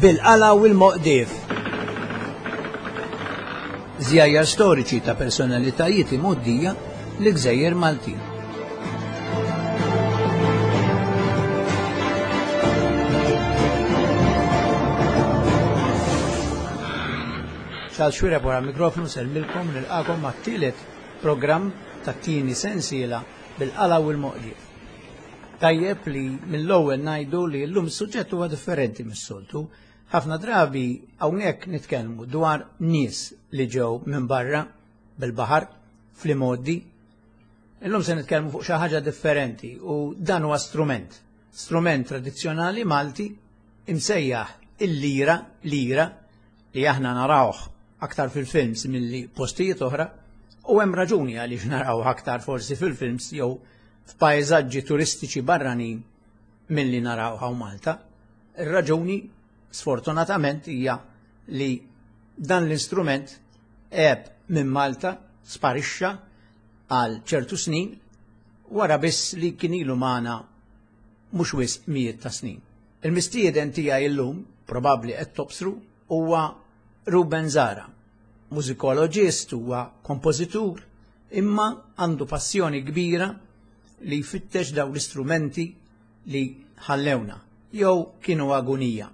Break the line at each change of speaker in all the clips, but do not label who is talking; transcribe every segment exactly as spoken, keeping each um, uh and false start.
Bil-qala u l-moqdif. Żjajjar storiċi ta' personalitajiet imgħoddija l-Gżejjer Maltin. Charles Xuereb wara mikrofonu nsellmilkom nilqakom mat-tielet programm tat-tieni sensiela bil-qala u l-moqdif. Tajjeb li mill-ewwel ngħidu li llum is-suġġett huwa differenti mis-soltu. Ħafna drabi hawnhekk nitkellmu dwar nies li ġew minn barra bil-baħar fl-imgħoddi. Illum se nitkellmu fuq xi ħaġa differenti u dan huwa strument, strument tradizzjonali Malti imsejjaħ il-lira, lira li aħna narawh aktar fil-films milli postijiet oħra, u hemm raġuni għaliex narawh aktar forsi fil-films jew f'pajżaġġi turistiċi barranin milli naraw hawn Malta. Ir-raġuni sfortunatament hija li dan l-istrument għeb minn Malta, sparixxa għal ċertu snin wara biss li kien ilu magħna mhux wisq mijiet ta' snin. Il-mistieden tiegħi llum, probabbli qed tobsru, huwa Ruben Zahra, mużikoloġist, huwa kompożitur, imma għandu passjoni kbira li jfittex daw l-istrumenti li ħallewna jew kienu agunija.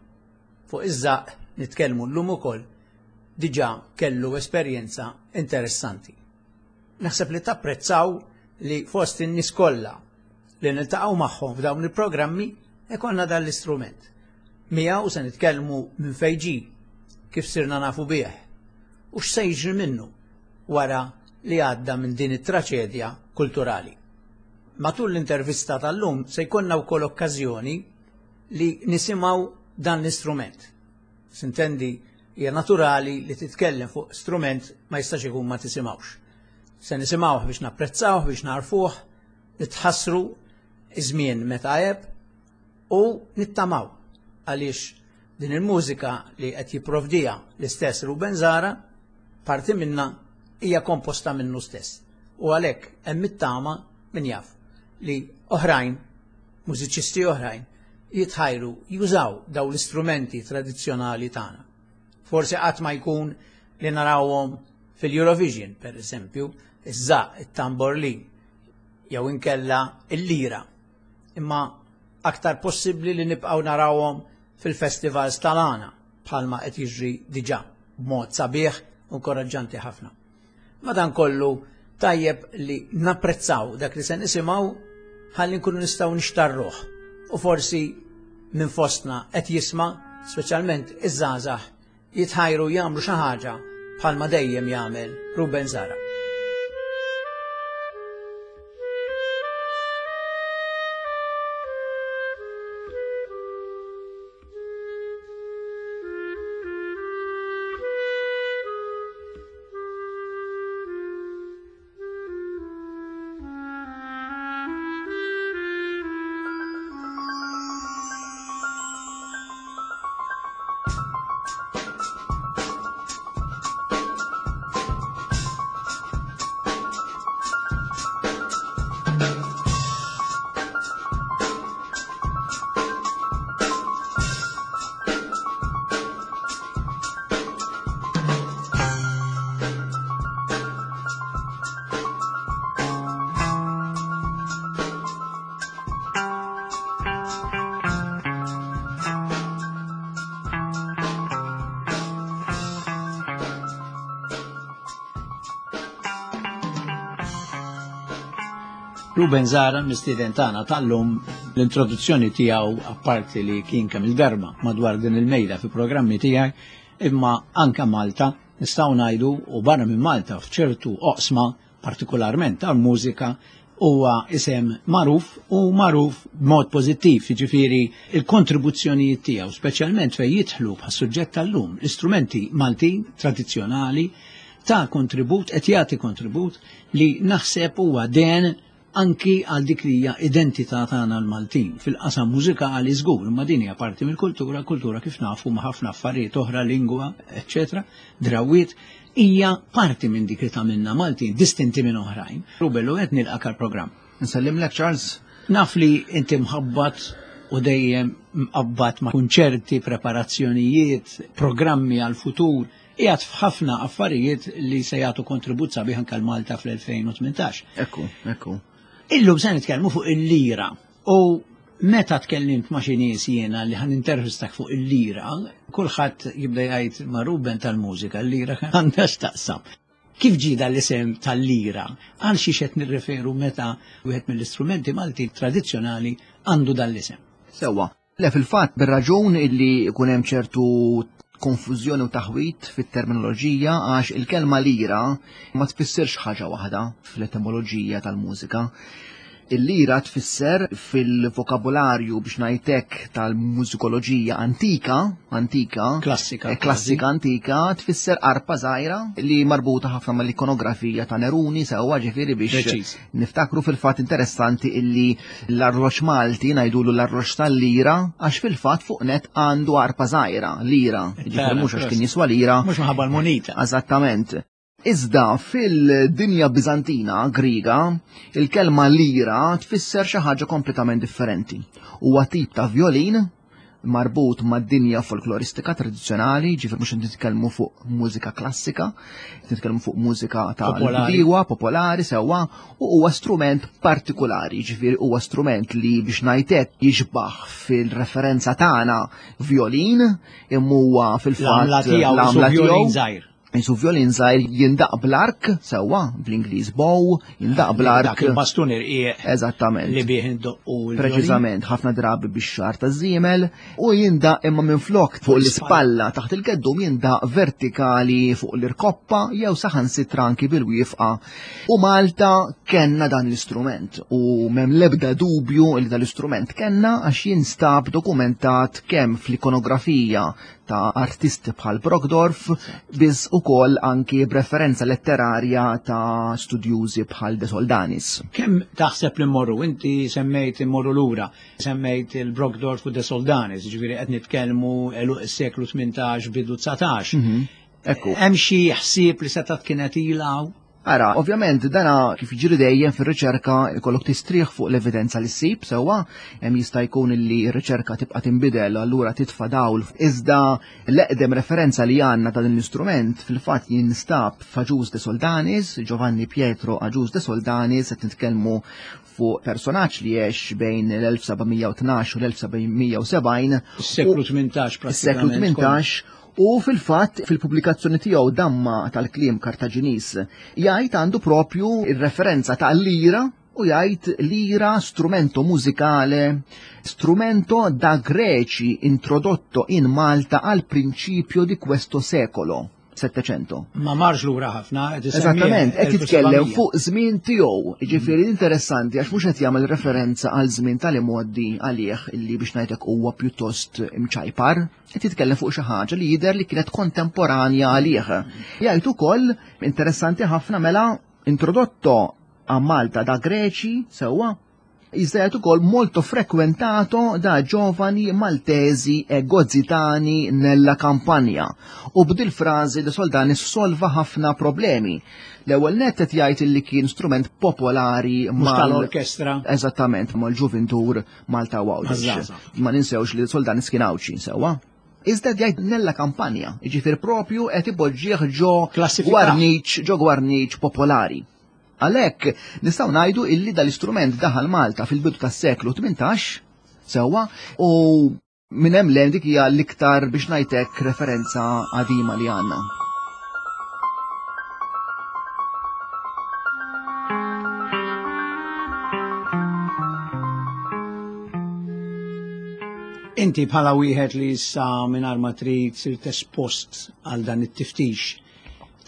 Fuq iż-żaq nitkellmu llum ukoll diġà kellu esperjenza interessanti. Naħseb li tapprezzaw li fost in-nies kollha li niltaqgħu magħhom f'dawn il-programmi ikollna dan l-istrument. Miegħu se nitkellmu minn fejn ġie, kif sirna nafu bih u x'se jiġri minnu wara li għadda minn din it-traċedja kulturali. Matul l-intervista tal-lum se jkollna wkoll okkażjoni li nisimgħu dan l-istrument. Sintendi hija naturali li titkellem fuq strument ma jistax ikun ma tisimgħux. Se nisimgħuh biex napprezzawh, biex narfuh, nitħassru iż-żmien meta għeb u nittamaw għaliex din il-mużika li qed jipprovdija l-istess Ruben Zahra parti minna hija komposta minnu stess. U għalhekk hemm it-tama min jaf li oħrajn, mużiċisti oħrajn, jitħajru jużaw daw l-istrumenti tradizzjonali tagħna. Forsi qatt ma jkun li narawhom fil-Eurovision, per eżempju, iż-żaq, it-tamborlin, jew inkella il-lira. Imma aktar possibbli li nibqgħu narawhom fil-festivals tal-għana bħalma qed jiġri diġà b'mod sabiħ u inkoraġġanti ħafna. Madankollu tajjeb li napprezzaw dak li se nisimgħu ħalli nkunu nistgħu nixtarruh u forsi minn fostna qed jisma', speċjalment iż-żgħażagħ, jitħajru jagħmlu xi ħaġa bħalma dejjem jagħmel Ruben Zahra. Ruben Zahra, mistieden tagħna tal-lum, l-introduzzjoni tiegħu apparti li kien kemm il-darba madwar din il-mejda fi programmi tiegħi, imma anka Malta nistgħu ngħidu u barra minn Malta f'ċertu oqsma partikolarment tal-mużika huwa isem magħruf u magħruf b'mod pożittiv, jiġifieri il-kontribuzzjonijiet tiegħu, speċjalment fejn jidħlu bħas-suġġett tal-lum, l-istrumenti Maltin tradizzjonali ta' kontribut, qed jagħti kontribut li naħseb huwa den anki għal dik li hija identità tagħna l-Maltin fil-qasam mużikali żgur, imma din hija parti mill-kultura, kultura kif nafu ma' ħafna affarijiet oħra, lingwa, eċċetera, drawiet, hija parti minn dik li tagħmilna Maltin, distinti minn oħrajn. Ruben, u qed nilqak għall-programm.
Nsellimlek, Charles.
Naf li inti mħabbat u dejjem mqabbad ma' kunċerti, preparazzjonijiet, programmi għal-futur, qiegħed f'ħafna affarijiet li se jagħtu kontribut sabiħ anke Malta fl-elfejn u tmintax.
Ekku, ekku.
Illum se nitkellmu fuq il-lira u meta tkellimt ma' xi nies jiena li ħan intervistak fuq il-lira, kulħadd jibda jgħid ma' Ruben tal-mużika, l-lira għandha x'taqsam. Kif ġie dan l-isem tal-lira? Għal xiex qed nirreferu meta wieħed mill-istrumenti Malti tradizzjonali għandu dan l-isem?
Sewwa. Le, fil-fatt bir-raġun illi jkun hemm ċertu konfużjoni u taħwit fit-terminoloġija għax il-kelma lira ma tfissirx ħaġa waħda fl-etimoloġija tal-mużika. Il-lira tfisser fil-vokabularju biex ngħidlek tal-mużikoloġija antika, antika,
Klassika,
eh, klassika antika, tfisser arpa żgħira li marbuta ħafna mal-ikonografija ta' Neruni, sewwa ġifieri biex
Preċiż.
niftakru fil-fatt interessanti illi l-arloġġ Malti ngħidulu l-arloġġ tal-lira għax fil-fatt fuq net għandu arpa żgħira, lira, ġifieri mhux għax kien jiswa lira.
Mhux minħabba l-munita.
Eżattament. Iżda fil-dinja Bizantina, Griega, il-kelma lira tfisser xi ħaġa kompletament differenti. Huwa tip ta' violin marbut mad-dinja folkloristika tradizzjonali, ġifier mhux qed nitkellmu fuq mużika klassika, nitkellmu fuq mużika ta'
Popolari.
bdiewa, popolari sewwa, u huwa strument partikolari, ġifieri huwa strument li biex ngħidlek jixbaħ fil-referenza tagħna violin, imma huwa fil-fatt
L-għamla tiegħu
l-għamla
su violin
tiegħu
żgħir.
Jisu violin żgħir jindaq bl-ark, sewwa, bl-Ingliż bow, jindaq bl-ark.
Dak il-bastun irqiq
Eżattament.
li bih indoqqu l-violin.
Preċiżament, ħafna drabi bix-xagħar taż-żiemel, u jindaq imma minflok fuq l-ispalla taħt il-geddum jindaq vertikali fuq l-irkoppa jew saħansitra anki bil-wifqa. U Malta kenna dan l-istrument u m'hemm l-ebda dubju li dan l-istrument kenna għax jinstab dokumentat kemm fl-ikonografija ta' artisti bħal Brockdorff, biss ukoll anki b'referenza letterarja ta' studjużi bħal De Soldanis.
Kemm taħseb li mmorru? Inti semmejt immorru lura, semmejt il-Brockdorff u De Soldanis, ġifieri qed nitkellmu għeluq is-seklu tmintax bidu dsatax.
Mhm. Ekku.
Hemm xi ħsieb li setgħet kienet ilha?
Ara, ovvjament, dana kif jiġri dejjem fir-riċerka ikollok tistrieħ fuq l-evidenza li ssib, sewwa, hemm jista' jkun li r-riċerka tibqa' tinbidel, allura titfa' dawl. Iżda l-eqdem referenza li għandna ta' din l-istrument fil-fatt jinstab f'Agius de Soldanis, Giovanni Pietro Agius de Soldanis, qed nitkellmu fuq personaġġ li għex bejn l-elf seba' mija u tnax u l-elf seba' mija u sebgħin.
Is-seklu tmintax
Is-seklu
prattikament.
tmintax. U fil-fatt fil-pubblikazzjoni tiegħu damma tal-kliem Kartaġinis jgħid għandu propju ir-referenza ta' lira u jgħid lira strumento musicale, strumento da Greci introdotto in Malta al principio di questo secolo, Settecento.
Ma marx lura ħafna, qed isemmi
Eżattament, qed jitkellem
elf u sebgħamija.
fuq żmien tiegħu. Jiġifieri interessanti għax mhux qed jagħmel referenza għal żmien tal-imgħoddi għalih illi biex ngħidlek huwa pjuttost imċajpar, qed jitkellem fuq xi ħaġa li jidher li kienet kontemporanja għalih. Jgħid ukoll interessanti ħafna mela introdotto a Malta da Greci, sewwa, iżda jgħid ukoll molto frequentato da giovani maltesi e gozzitani nella campagna. U b'dil frażi De Soldanis solva ħafna problemi. L-ewwel nett qed jgħid li kien strument popolari
Mhux
mal-
tal-orkestra.
Eżattament, mal-ġuvintur Malta u Għawdex.
Maż-żgħażagħ.
Ma ninsewx li De Soldanis kien Għawdxi, sewwa. Iżda jgħid nella kampanja, jiġifier propju qed ipoġġih ġo
Klassifika.
gwarniċ, ġo gwarniċ popolari. Għalhekk nistgħu ngħidu illi dal-istrument daħal Malta fil-bidu tas-seklu tmintax, sewwa, u minn hemm lejn dik hija l-iktar biex ngħidlek referenza qadima li għandna.
Inti bħala wieħed li issa mingħajr ma trid sirt espost għal dan it-tiftix,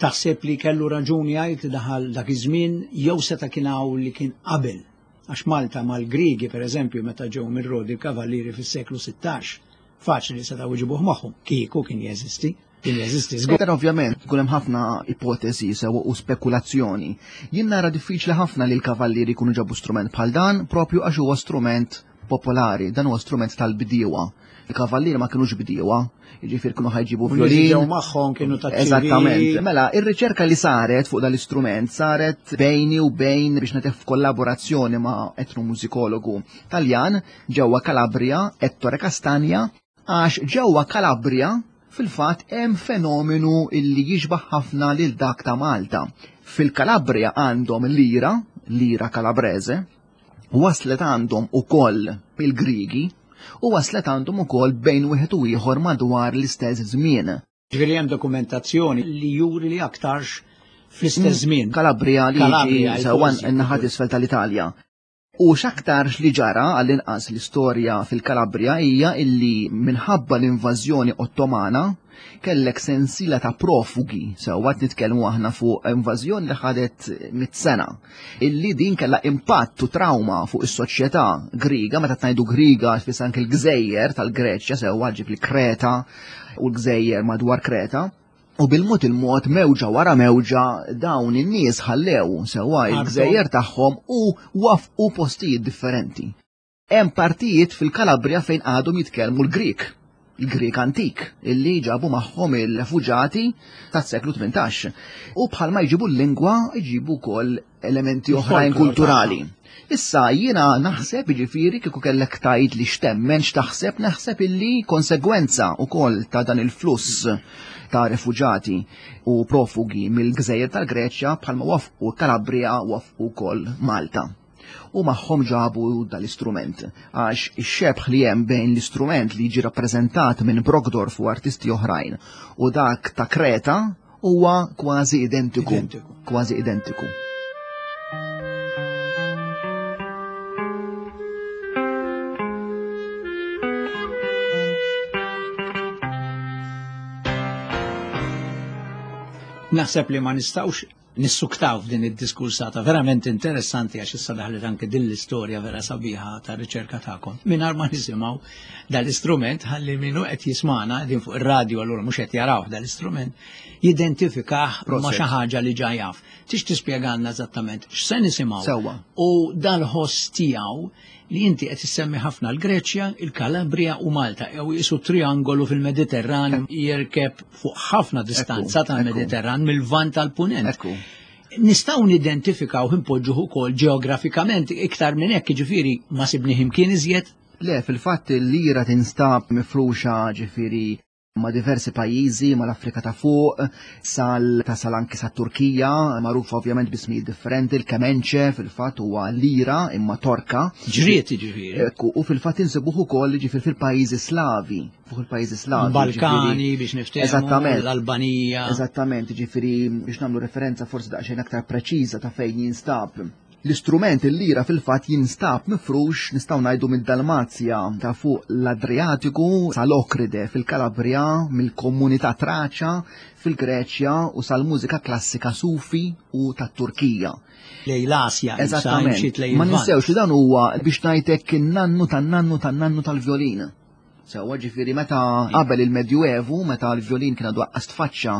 taħseb li kellu raġuni jgħid li daħal dak iż-żmien jew seta' kien hawn li kien qabel? Għax Malta mal-Griegi, per eżempju, meta ġew minn Rodi l-Kavallieri fis-seklu sittax, faċli li setgħu jġibuh magħhom, kieku kien jeżisti. Kien jeżisti żgur.
Però ovvjament ikun hemm ħafna ipotezi sew u spekulazzjoni. Jien nara diffiċli ħafna li l-kavallieri jkunu ġabu strument bħal dan, propju għax huwa strument popolari, dan huwa strument tal-bdiewa. Il-kavallieri ma kienux bdiewa, jiġifieri kienu ħa jġibu violin.
Ġew magħhom kienu ta'
Eżattament. Mela, ir-riċerka li saret fuq dal-istrument saret bejni u bejn biex ngħid f'kollaborazzjoni ma' etnomużikologu Taljan ġewwa Calabria, Ettore Castagna, għax ġewwa Calabria fil-fatt hemm fenomenu illi jixbaħ ħafna lil dak ta' Malta. Fil-Calabria għandhom lira, lira kalabrese, waslet għandhom ukoll il-Grigi, u waslet għandhom ukoll bejn wieħed u ieħor madwar l-istess żmien.
Ġifieri hemm dokumentazzjoni li juri li aktarx fl-istess żmien.
Calabria li
Calabria,
jiġi sewwa
il-forsi.
n-naħa isfel tal-Italja. U x'aktarx li ġara għall-inqas l-istorja fil-Kalabria hija illi minħabba l-invażjoni Ottomana kellek sensiela ta' profugi, sewwa qed nitkellmu aħna fuq invażjoni li ħadet mit sena, illi din kellha impatt u trauma fuq is-soċjetà Griega, meta ngħidu Griega tfisser anke l-gżejjer tal-Greċja, sewwa ġib il-Kreta u l-gżejjer madwar Kreta. U bil-mod il-mod mewġa wara mewġa dawn in-nies ħallew sewwa il-gżejjer tagħhom u wafqu postijiet differenti. Hemm partijiet fil-Kalabria fejn għadhom jitkellmu l-Grik, il-Grik antik, illi ġabu magħhom il-refuġati tas-seklu tmintax. U bħalma jġibu l-lingwa, jġibu wkoll elementi oħrajn
Il-folklor
kulturali.
tagħhom.
Issa jiena naħseb, jiġifieri kieku kellek tgħid li x'temmen x'taħseb, naħseb illi konsegwenza wkoll ta' dan il-fluss ta' refuġati u profugi mill-gżejjer tal-Greċja bħalma wafqu Kalabria wafqu wkoll Malta. U magħhom ġabu dal-istrument, għax ix-xebh li hemm bejn l-istrument li jiġi rappreżentat minn Brockdorff u artisti oħrajn u dak ta' Kreta huwa kważi identiku.
Identiku.
Kważi identiku.
Naħseb li ma nistgħux nissuktaw f'din id-diskursata verament interessanti għax issa daħlet anke din l-istorja vera sabiħa ta' riċerka tagħkom. Mingħajr ma nisimgħu dal-istrument ħalli minnu qed jismana qegħdin fuq ir-radju allura mhux qed jaraw dal-istrument jidentifikah ma'
Proset.
xi ħaġa li ġa jaf. Tix tispjegalna eżattament x'se nisimgħu.
Sewwa.
U dal-ħoss tiegħu li inti qed issemmi ħafna l-Greċja, il-Kalabria u Malta, jew jisu triangolu fil-Mediterran jirkeb fuq ħafna distanza
Ekku,
tal-Mediterran mill-Lvant tal-Punent.
Ekku.
Nistgħu nidentifikaw impoġġuh ukoll ġeografikament iktar minn hekk, jiġifieri ma sibnieh imkien iżjed?
Le, fil-fatt il-lira tinstab mifruxa ġifieri ma' diversi pajjiżi, ma' l-Afrika ta' fuq, sal tasal anki sa' Turkija, magħrufa ovvjament b'ismijiet differenti, il-kemenċe fil-fatt huwa lira imma torka.
Ġriet jiġifieri.
Ekku, u fil-fatt insibuh ukoll ġifieri fil-pajjiżi Slavi, fuq il-pajjiżi Slavi,
Balkani
ġifieri.
biex niftehmu,
Eżattament.
l-Albanija.
Eżattament, ġifieri biex nagħmlu referenza forsi daqsxejn aktar preċiża ta' fejn jinstab. L-istrument il-lira fil-fatt jinstab mifrux nistgħu ngħidu mid-Dalmazja ta' fuq l-Adriatiku sal-Okride fil-Kalabria, mill-komunità Traċa fil-Greċja u sal-mużika klassika Sufi u tat-Turkija.
Lejn l-Asja, issa
Eżattament.
imxiet lejn
Ma
il-Lvant.
ninsewx li dan huwa biex ngħidlek in-nannu tan-nannu tan-nannu tal-vjolin. Sewwa ġifieri meta qabel il-Medjuevu, meta l-vjolin kien għadu aqqas tfaċċa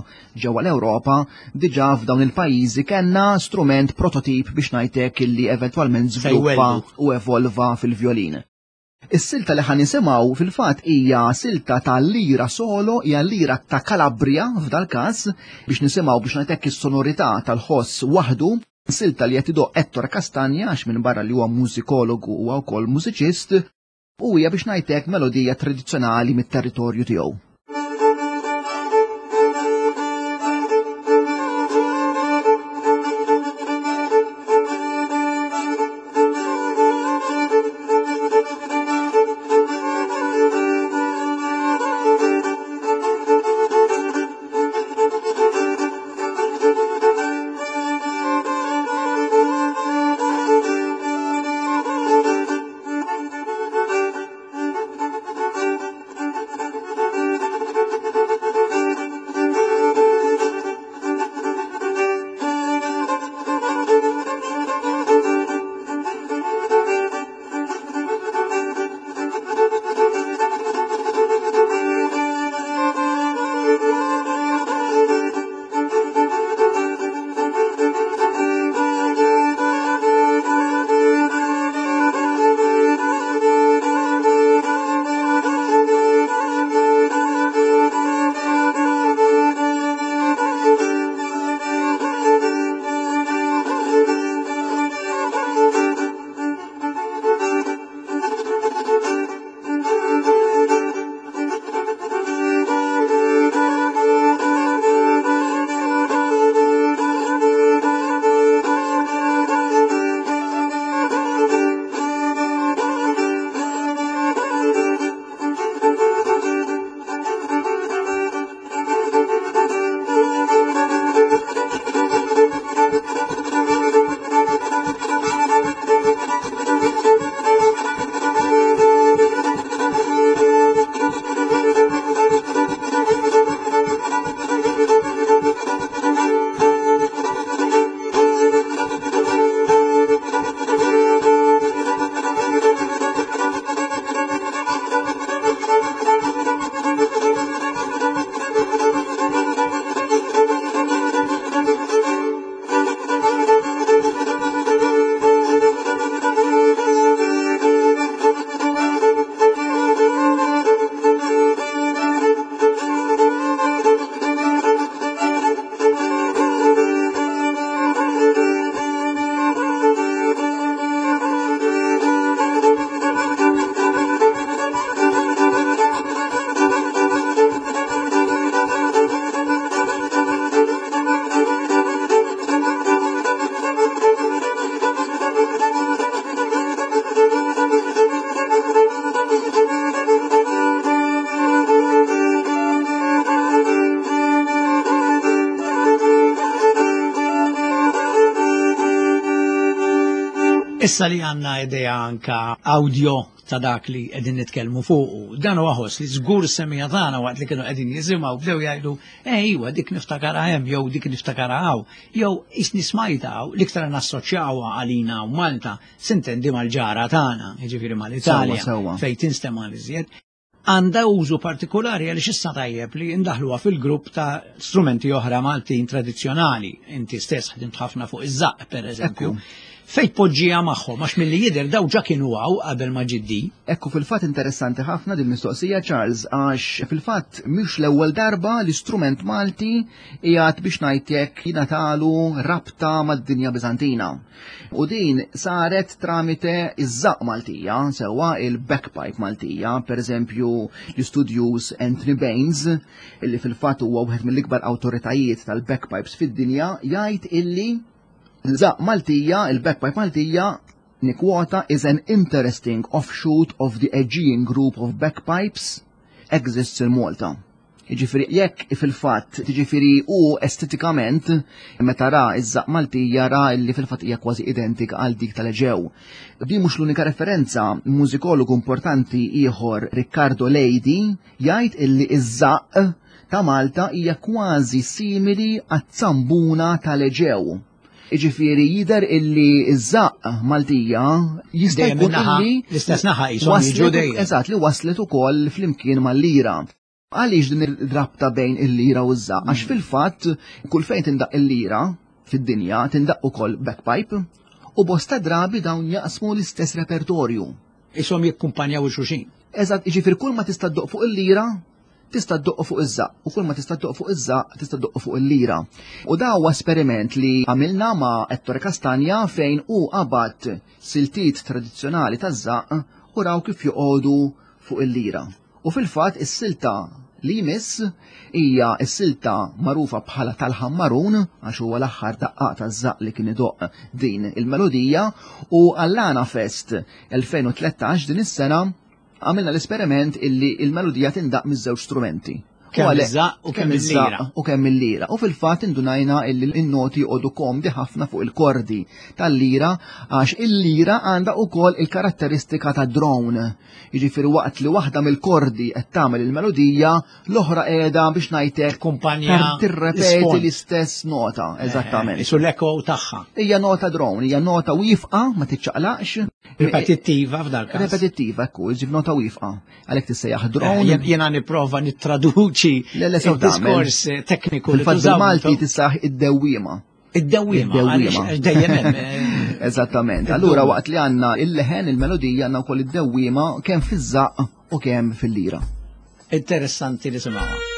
ġewwa l-Ewropa, diġà f'dawn il-pajjiżi kellna strument prototip biex ngħidlek illi eventwalment żviluppa
Sejweldu.
u evolva fil-vjolin. Is-silta li ħan nisimgħu fil-fatt hija silta ta' lira solo, hija lira ta' Calabria f'dal-każ, biex nisimgħu biex ngħidlek is-sonorità tal-ħoss waħdu. Silta li qed idoq Ettore Castagna, għax minn barra li huwa mużikologu huwa wkoll mużiċist, u hija biex ngħidlek melodija tradizzjonali mit-territorju tiegħu.
Thank you.
Issa li għandna idea anka audio ta' dak li qegħdin nitkellmu fuqu. Dan huwa ħoss li żgur semija tagħna waqt li kienu qegħdin jisimgħu bdew jgħidu eh iwa dik niftakara hemm jew dik niftakara hawn jew isni smajta hawn l-iktar nassoċjawha għalina u Malta sintendi mal-ġara tagħna, jiġifieri mal-Italja fejn tinstema' l-iżjed. Għandha użu partikolari għaliex issa tajjeb li ndaħluha fil-grupp ta' strumenti oħra Maltin tradizzjonali. Inti stess ħdimt ħafna fuq iż-żaqq pereżempju. Fejn poġġija magħhom għax milli jidher daw ġa kienu hawn qabel ma ġiddi.
Ekku fil-fatt interessanti ħafna din mistoqsija Charles għax fil-fatt mhux l-ewwel darba l-istrument Malti qiegħed biex ngħidlek jingħatalu rabta mad-dinja Biżantina. U din saret tramite iż-żaqq Maltija, sewwa il-bagpipe Maltija, pereżempju l-istudjuż Anthony Baines, illi fil-fatt huwa wieħed mill-ikbar awtoritajiet tal-bagpipes fid-dinja, jgħid illi l-żaqq Maltija, il-bagpipe Maltija, nikwota, is an interesting offshoot of the Aegean group of bagpipes exists in Malta. Jiġifieri jekk fil-fatt, jiġifieri u estetikament, meta ra iż-żaqq Maltija ra li fil-fatt hija kważi identika għal dik tal-Eġew. Di mhux l-unika referenza, mużikologu importanti ieħor Riccardo Leidi jgħid illi iż-żaqq ta' Malta hija kważi simili għat-zambuna tal-Eġew. Jiġifieri jidher illi iż-żaqq Maltija jista' jkun illi
l-istess naħa qishom jiġu dejjem.
Eżatt, li waslet ukoll flimkien mal-lira. Għaliex din ir-rabta bejn il-lira u ż-żaqq? Għax fil-fatt kull fejn tindaq il-lira fid-dinja tindaq ukoll bagpipe u bosta drabi dawn jaqsmu l-istess repertorju.
Ishom jikkumpanjaw il-xulxin.
Eżatt, jiġifieri kull ma tista' ddoq fuq il-lira tista' ddoq fuq iż-żaqq u kull ma tista' ddoq fuq iż-żaqq tista' ddoq fuq il-lira. U da huwa esperiment li għamilna ma' Ettore Castagna fejn hu qabad siltiet tradizzjonali taż-żaqq u raw kif joqogħdu fuq il-lira. U fil-fatt is-silta li jmiss hija s-silta magħrufa bħala tal-ħammarun għax huwa l-aħħar daqqaq taż-żaqq li kien idoqq din il-melodija u għall-Għana Fest elfejn u tlettax din is-sena għamilna l-esperiment illi il-melodija tindaq miż-żewġ strumenti.
Kemm iż-żaqq u kemm il-lira.
U kemm il-lira. U fil-fatt indunajna illi n-noti joqogħdu komdi ħafna fuq il-kordi tal-lira għax il-lira għandha wkoll il-karatteristika ta' drone. Jiġifieri waqt li waħda mill-kordi qed tagħmel il-melodija, l-oħra qiegħda biex ngħidlek
Kumpanja
tirrepeti l-istess nota, eżattament.
Isu l-echo tagħha.
Hija nota drone, hija nota wieqfa ma tiċċaqlaqx.
Ripetittiva f'dal każ.
Ripetittiva, ekku, ġib nota wieqfa. Għalhekk tissejjaħ drone.
Jiena nipprova nittraduċi
Le, le, sew tagħmel.
il-diskors tekniku li
Fil-fatt
tużaw
bil-Malti
intom.
tissaħ id-dewwiema.
Id-dewwiema,
Id-dewwiema.
għaliex dejjem hemm, eh,
Eżattament. Allura waqt li għandna il-leħen, il-melodija, għandna wkoll id-dewwiema kemm fiż-żaqq u kemm fil-lira.
Interessanti li simgħuha.
Thank you.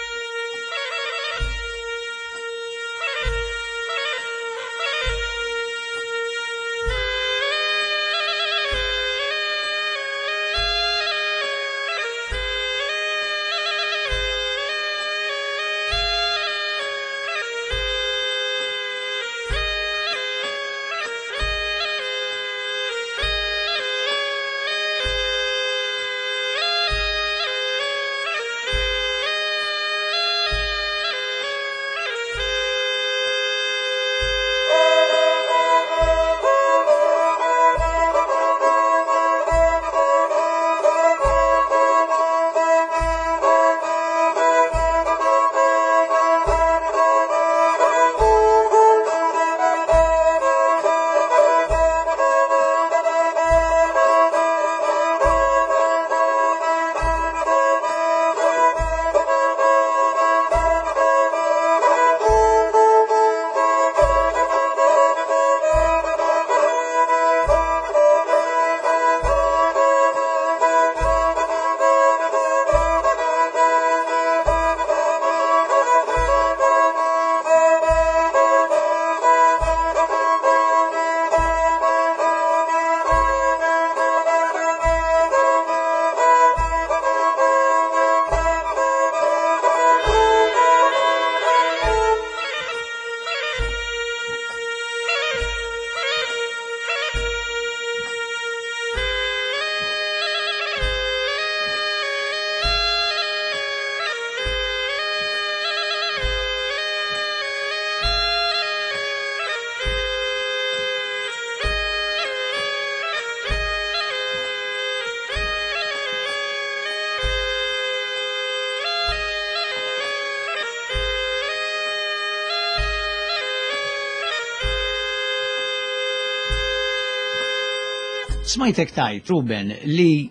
Smajtek tajt, Ruben, li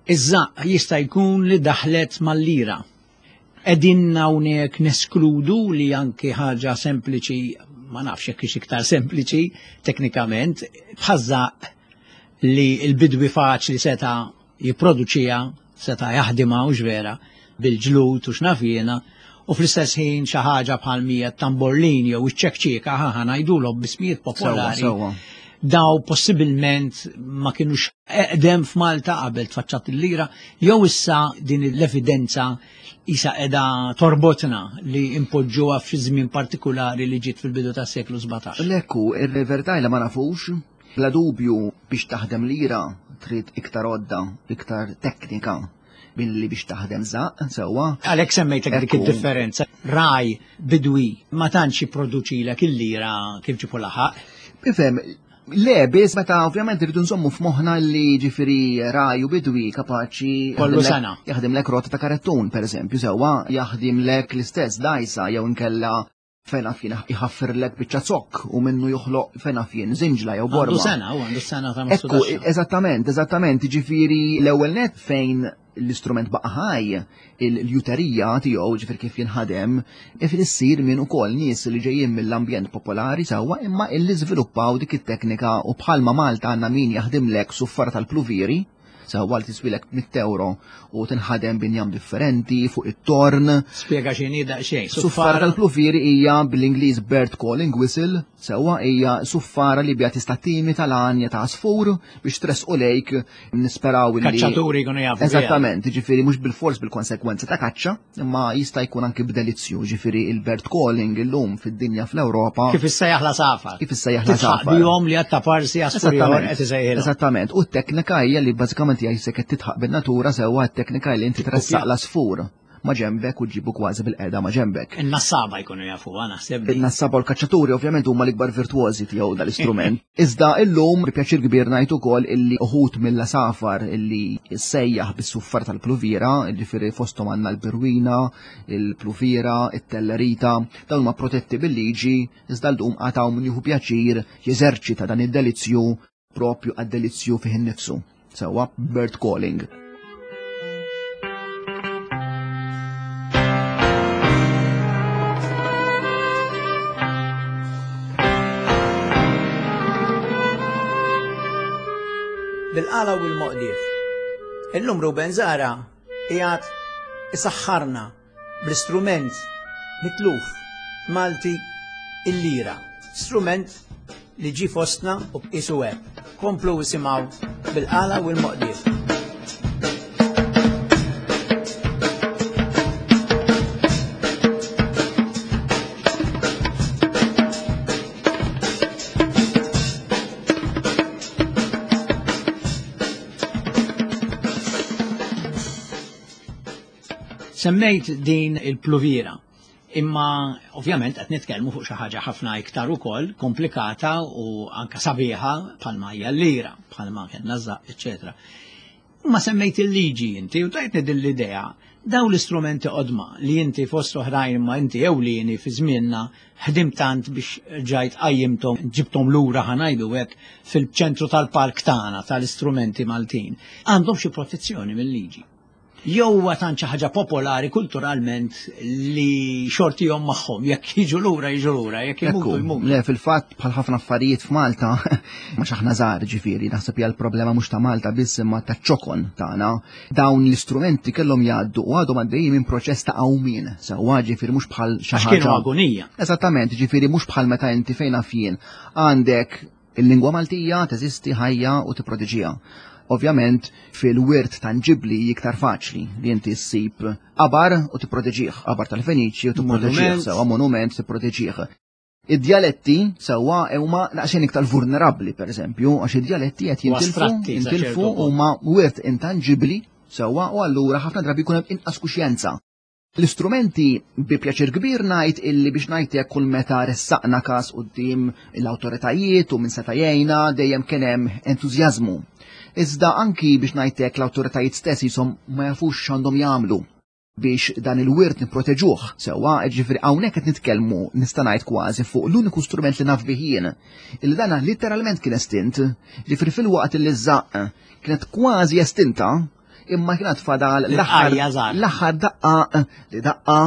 iż-żaqq jista' jkun li daħlet mal-lira. Qegħdin hawnhekk neskludu li anki ħaġa sempliċi, ma nafx jekk hix iktar sempliċi teknikament, bħaż-żaqq li l-bidwi faċli seta' jipproduċija, seta' jaħdimha u vera bil-ġlud u x'naf jiena, u fl-istess ħin xi ħaġa bħal mija tamborlin jew iċ-ċekċieka ħa ngħidulhom b'ismijiet popolari.
Sewwa,
Daw possibilment ma kienux eqdem f'Malta qabel tfaċċat il-lira, jew issa din l-evidenza isa qiegħda torbotna li impoġġuha fi żmien partikulari li ġiet fil-bidu tas-seklu sbatax.
Lekku, il-verità li ma nafux, bla dubju biex taħdem lira trid iktar għodda, iktar teknika billi biex taħdem żaqq, sewwa.
Għalhekk semmejtek dik
Ekku.
id-differenza. Raj, bidwi, ma tantx jipproduċilek il-lira kif ġipu laħaq.
Ifhem, le, biss meta ovvjament irridu nżommu f'moħħna li ġifieri raj u bidwi kapaċi
Kollu
jaħdimlek-
sena.
jaħdimlek rota ta' karettun, per eżempju, sewwa, jaħdimlek l-istess dajsa jew inkella fejn fien jħaffirlek biċċa zokk u minnu joħloq fejn fien zinġla jew borma.
Għandu sena, u għandu sena ta'
Ekku,
mastudaxxa.
eżattament, eżattament, ġifieri l-ewwel net fejn l-istrument baqa' ħaj, il-juterija tiegħu ġifieri kif jinħadem, ifir issir minn ukoll nies li ġejjin mill-ambjent popolari sewwa imma illi żviluppaw dik it-teknika u bħalma Malta għandna min jaħdimlek suffara tal-pluviri, sewwa li tiswilek mitt euro u tinħadem b'injam differenti fuq it-torn.
Spjega x'inhi daqsxejn.
Suffara tal-pluviri hija bil-Ingliż bird calling whistle, sewwa hija suffara li biha tista' timita l-għanja ta' għasfur biex tressqu lejk nisperaw li
Kaċċaturi jkunu jafu biha.
Eżattament, ġifieri mhux bil-fors bil-konsekwenza ta' kaċċa, imma jista' jkun anki b'delizzju, ġifieri il-bird calling illum fid-dinja fl-Ewropa.
Kif issejjaħ la safar.
Kif issejjaħ la
Titħaq
safar.
bihom li għatta parsi għasfur ieħor qed isejħilhom.
Eżattament, u t-teknika hija li bażikament hija jisek qed titħaq bin-natura sewwa t-teknika li inti tressaq l-għasfur ma' ġembek u ġibu kważi bil-qeda ma' ġembek.
In-nassaba jkunu jafuha naħseb.
In-nassaba u l-kaċċaturi ovvjament huma l-ikbar virtuożi tiegħu dal-istrument. Iżda illum bi pjaċir kbir ngħid ukoll illi uħud mill-asafar illi sejjaħ bis-suffar tal-pluvira, ġifieri fosthom għandna l-birwina, il-pluvira, it-tellerita, dawn huma protetti bil-liġi, iżda llum qatgħu min jieħu pjaċir jeżerċita dan id-delizzju propju għad-delizzju fih innifsu. Sewwa bird calling.
Bil-qala u l-moqdief. Illum Ruben Zahra qiegħed isaħħarna bl-istrument mitluf Malti il-lira. Strument li ġi fostna u bqisu hekk. Komplu isimgħu bil-qala u l-moqdief. Semmejt din il-pluvira, imma ovvjament qed nitkellmu fuq xi ħaġa ħafna iktar ukoll komplikata u anka sabiħa bħalma hija l-lira, bħalma kellna żaqq, eċċetera. Imma semmejt il-liġi inti u tajtni din l-idea, daw l-istrumenti qodma li inti fost oħrajn imma inti ewlieni fi żmienna ħdimt tant biex ġajt qajjimthom, ġibthom lura ħanajdu hekk fil-ċentru tal-park tagħna tal-istrumenti Maltin. Għandhom xi protezzjoni mill-liġi. Jew huwa tant xi ħaġa popolari kulturalment li xortihom magħhom, jekk jiġu lura jiġu lura, jekk imutu
Ekku,
jmutu.
Le, fil-fatt bħal ħafna affarijiet f'Malta, ma xaħna żgħar ġifieri, naħseb hija l-problema mhux ta' Malta biss imma ta' ċokon tagħna. Dawn l-istrumenti kellhom jgħaddu u għadhom għaddejjin minn proċess ta' qawmien, sewwa ġifieri mhux bħal xi
Għax kienu
ħaġa.
agonija.
Eżattament, ġifieri mhux bħal meta inti fejn naf jien għandek il-lingwa Maltija teżisti ħajja u tipproteġiha. Ovvjament fil-wirt tangibli iktar faċli li inti ssib qabar u tipproteġih, qabar tal-Feniċi u tipproteġih,
Monument.
sewwa monument tipproteġih. Id-dialetti sewwa huma daqsxejn iktar vulnerabbli pereżempju, għax id-dialetti qed
U
jintilfu,
astratti, sa
jintilfu
ċertu punt.
huma wirt intangibbli sewwa u allura ħafna drabi jkun hemm inqas kuxjenza. L-istrumenti bi pjaċir kbir ngħid illi biex ngħid jekk kull meta ressaqna każ quddiem l-awtoritajiet u minn seta' jgħinna dejjem kien hemm entużjażmu. Iżda anki biex ngħid hekk l-awtoritajiet stess jisom ma jafux x'għandhom jagħmlu. Biex dan il-wirt niproteġuh. Sewwa, ġifieri hawnhekk qed nitkellmu, nista' ngħid, kważi fuq l-uniku strument li naf bih jien. Illi dana literalment kien estint, ġifieri fil-waqt li ż-żaqq kienet kważi estinta, imma kienet fadal l-aħħar daqqa li daqqa.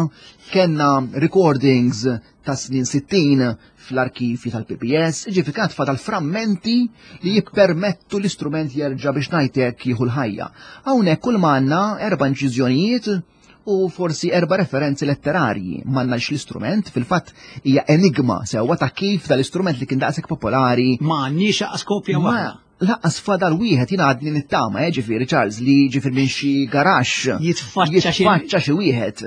Kellna recordings ta' snin sittin fl-arkivi tal-P P S, ġifieri kienet fadal frammenti li jippermettu l-istrument jerġa', biex ngħidlek, jieħu l-ħajja. Hawnhekk kull m'għandna erba' inċiżjonijiet u forsi erba' referenzi letterarji. M'għandnax l-istrument, fil-fatt hija enigma sewwa ta' kif dal-istrument li kien daqshekk popolari
Ma għandniex kopja waħda.
Lanqas fadal wieħed. Jiena għadni nittama, eh, ġifieri, Charles, li ġifieri minn xi garaxx
jitfaċċa xi
jitfaċċa xi wieħed.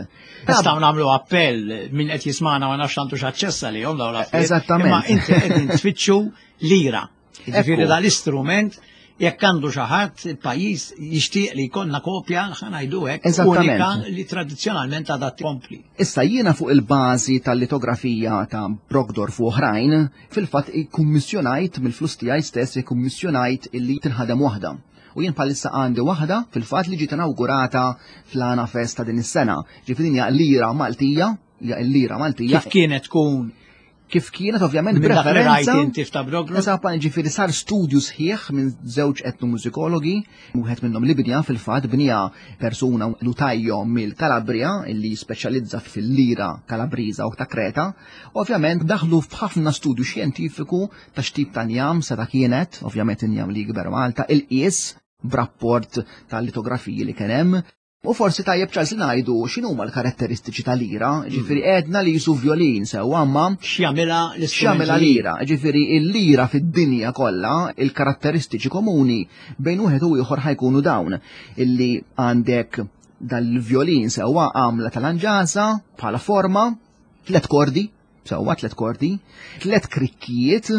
Nistgħu nagħmlu appell, min qed jismana ma nafx għandux aċċess għalihom dawn l-affarijiet.
Eżattament.
Imma inti qegħdin tfittxu lira. Ġifieri
Ekku.
dal-istrument, jekk għandu xi ħadd, il-pajjiż jixtieq li jkollna kopja, ħa ngħidu hekk,
Eżattament.
unika li tradizzjonalment għadha tkompli.
Issa jiena fuq il-bażi tal-litografija ta' Brockdorff u oħrajn, fil-fatt ikkummissjonajt mill-flus tiegħi stess, ikkummissjonajt illi tinħadem waħda. U jien bħalissa għandi waħda fil-fatt li ġiet inaugurata fl-Għana Festa din is-sena. Ġifieri din hija lira Maltija, hija l-lira Maltija.
Kif kienet tkun
Kif kienet, ovvjament,
minn dak li rajt
b'referenza
inti f'ta' Brockdorff?
Eżatt, ġifieri sar studju sħiħ minn żewġ etnomużikologi, wieħed minnhom li bniha, fil-fatt bniha persuna liutaio mill-Kalabria illi speċjalizza fil-lira Kalabriża u ta' Kreta. Ovvjament daħlu f'ħafna studju xjentifiku ta' x'tip ta' njam seta' kienet, ovvjament injam li jikber Malta, il-qies b'rapport tal-litografiji li kien hemm. U forsi tajjeb, Charles, li ngħidu x'inhuma l-karatteristiċi tal-lira, ġifieri għedna li qisu violin sewwa, imma
X'jagħmilha l-istrument?
X'jagħmilha lira? Ġifieri il-lira fid-dinja kollha, il-karatteristiċi komuni bejn wieħed u ieħor ħa jkunu dawn: illi għandek dal-violin sewwa, għamla tal-anġasa bħala forma, tlet kordi, sewwa, tlet kordi, tlet krikkijiet,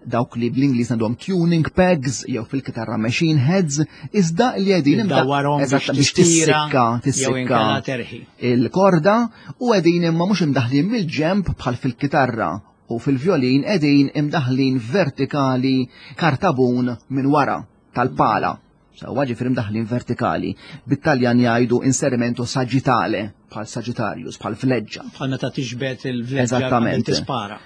dawk li bl-Ingliż għandhom tuning pegs jew fil-kitarra machine heads, iżda li qegħdin
Iddawwarhom
Eżatt,
biex
biex
tistira
tissikka,
jew
tissikka
inkella terħi.
il-korda, u qegħdin imma mhux imdaħlin mill-ġemp bħal fil-kitarra u fil-violin, qegħdin imdaħlin vertikali kartabun minn wara tal-pala. Sewwa, ġifieri imdaħlin vertikali. Bit-Taljan jgħidu inserimento sagittale, bħal Sagittarius, bħal fleġġa.
Bħal meta tiġbed il-vleġġa
Eżattament.
qabel tispara.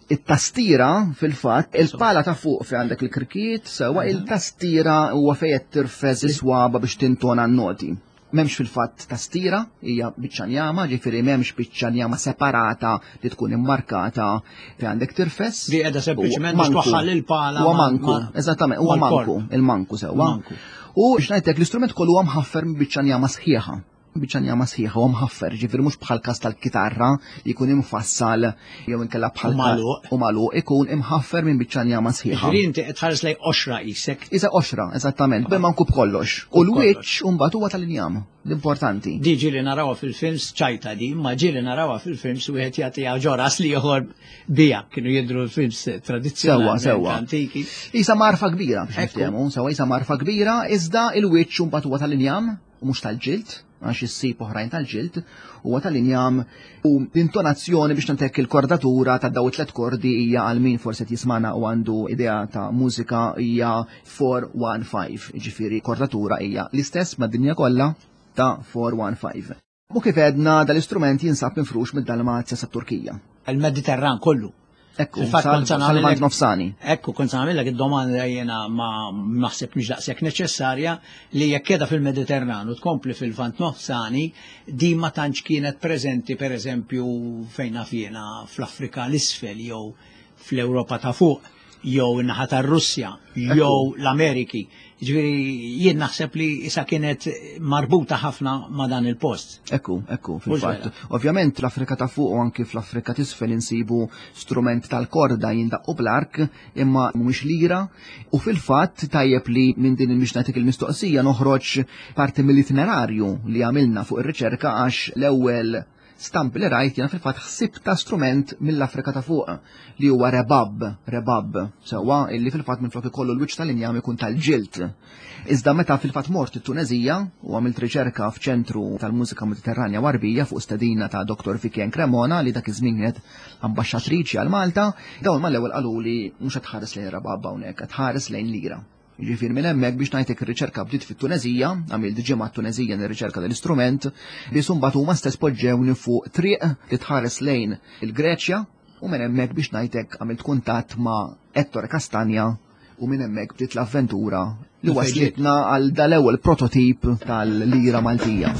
It-tastira fil-fatt, il-pala ta' fuq fi għandek il-krikkiet, sewwa, il-tastira huwa fejn qed tirfes is-swaba biex tintona n-noti. M'hemmx fil-fatt tastira, hija biċċa njama, ġifieri m'hemmx biċċa njama separata li tkun immarkata fi għandek tirfes.
Di qiegħda sempliċement biex
Manku.
twaħħal il-pala
Huwa
ma-
manku,
ma-
eżattament, huwa
mal-korp.
manku, il-manku sewwa.
Manku.
U biex ngħidlek, l-istrument kollu huwa mħaffer minn biċċa njama sħiħa. Biċċa njama sħiħa huwa mħaffer, ġifieri mhux bħal każ tal-kitarra li jkun imfassal jew inkella bħal
U magħluq.
U magħluq, ikun imħaffer minn biċċa njama sħiħa.
Ġifieri inti qed tħares lejn qoxra qisek.
Isa qoxra, eżattament, bil-manku b'kollox. U l-wiċċ mbagħad huwa tal-injam, l-importanti.
Di ġieli narawha fil-films, ċajta di, ma ġieli narawha fil-films wieħed jagħtiha ġo ras l-ieħor bija, kienu jidru l-films tradizzjonali
Sewwa, sewwa.
antiki.
Isa marfa kbira, biex
Ekku.
niftehmu, sewwa, isa marfa kbira, iżda il-wiċċ mbagħad huwa tal-injam u mhux tal-ġild, għax issib oħrajn tal-ġild, huwa tal-injam, u l-intonazzjoni, biex ngħidlek, il-kordatura ta' daw it-tlet kordi hija, għal min forsi qed jismana u għandu idea ta' mużika, hija four one five, ġifieri kordatura hija l-istess mad-dinja kollha ta' four one five. U kif għedna, dal-istrument jinsab mifrux mid-Dalmazja sa' Turkija.
Il-Mediterran kollu.
Ekku,
Fil-fatt kont se
sal-Lvant
nagħmel-
Nofsani.
Ekku, kont se nagħmellek id-domanda jiena, ma naħseb mhix daqshekk neċessarja, li jekk qiegħda fil-Mediterran u tkompli fil-Lvant Nofsani, di ma tantx kienet preżenti, pereżempju, fejn naf jiena, fl-Afrika l-isfel jew fl-Ewropa ta' fuq jew in-naħa tar-Russja jew l-Ameriki. Ġifieri jien naħseb li issa kienet marbuta ħafna ma' dan il-post.
Ekku, ekku, fil-fatt.
vera.
Ovvjament l-Afrika ta' fuq u anki fl-Afrika t'isfel insibu strument tal-korda jindaqqu bl-ark, imma mhumiex lira, u fil-fatt tajjeb li minn din il-mixnatik il-mistoqsija noħroġ parti mill-itinerarju li għamilna fuq ir-riċerka, għax l-ewwel stampi li rajt jiena fil-fatt ħsib ta' strument mill-Afrika ta' fuq li huwa rebab, rebab, sewwa, illi fil-fatt minn flok ikollu l-wiċċ tal-injam ikun tal-ġild. Iżda meta fil-fatt mort it-Tunezija u għamilt riċerka f'ċentru tal-mużika Mediterranja u Għarbija fuq stedina ta' Doktor Vivian Cremona, li dak iż-żmien kienet ambaxxatriċi għal Malta, dawn mal-ewwel qalu li mhux qed tħares lejn rebab hawnhekk, qed tħares lejn lira. Jiġifieri minn hemmhekk biex ngħidlek ir-riċerka bdiet fit-Tunezija, għamilt ġimgħa Tunezija nirriċerka dal-istrument, li mbagħad huma stess poġġewni fuq triq li tħares lejn il-Greċja, u minn hemmhekk biex ngħidlek għamilt kuntatt ma' Ettore Castagna, u minn hemmhekk bdiet l-avventura li waslitna għal dal-ewwel prototip tal-lira Maltija.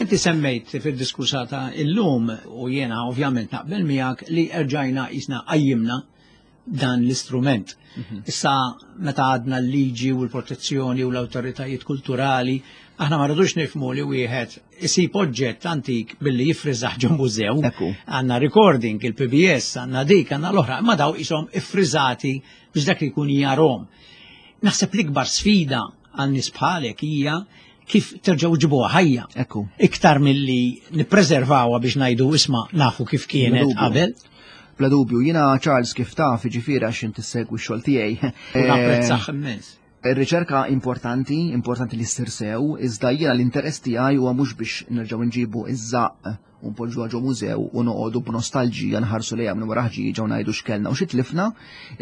Inti semmejt fil-diskursata illum u jiena ovvjament naqbel miegħek li erġajna jisna qajjimna dan l-istrument. Issa meta għadna l-liġi u l-protezzjoni u l-awtoritajiet kulturali, aħna ma rridux nifhmu li wieħed isib oġġett antik billi jifriżaħ ġo mużew. Għandna recording, il-P B S, għandna dik, għandna l-oħra, imma daw ishom iffriżati biex dak li jkun jarhom. Naħseb l-ikbar sfida għan nies bħalek hija kif terġgħu ġibuha ħajja.
Ekku.
Iktar milli nippreservawha biex ngħidu isma' nafu kif kienet
Bla dubju.
qabel.
Bla dubju, jiena Charles kif taf, jiġifieri għax inti ssegwi x-xogħol tiegħi.
U napprezzah immens.
Ir-riċerka importanti, importanti li ssir sew, iżda jiena l-interess tiegħi huwa mhux biex nerġgħu nġibu iż-żaqq u npoġġuha ġo mużew u noqogħdu b'nostalġija nħarsu lejha minn wara ħġieġa u ngħidu x'kellna u xi tlifna,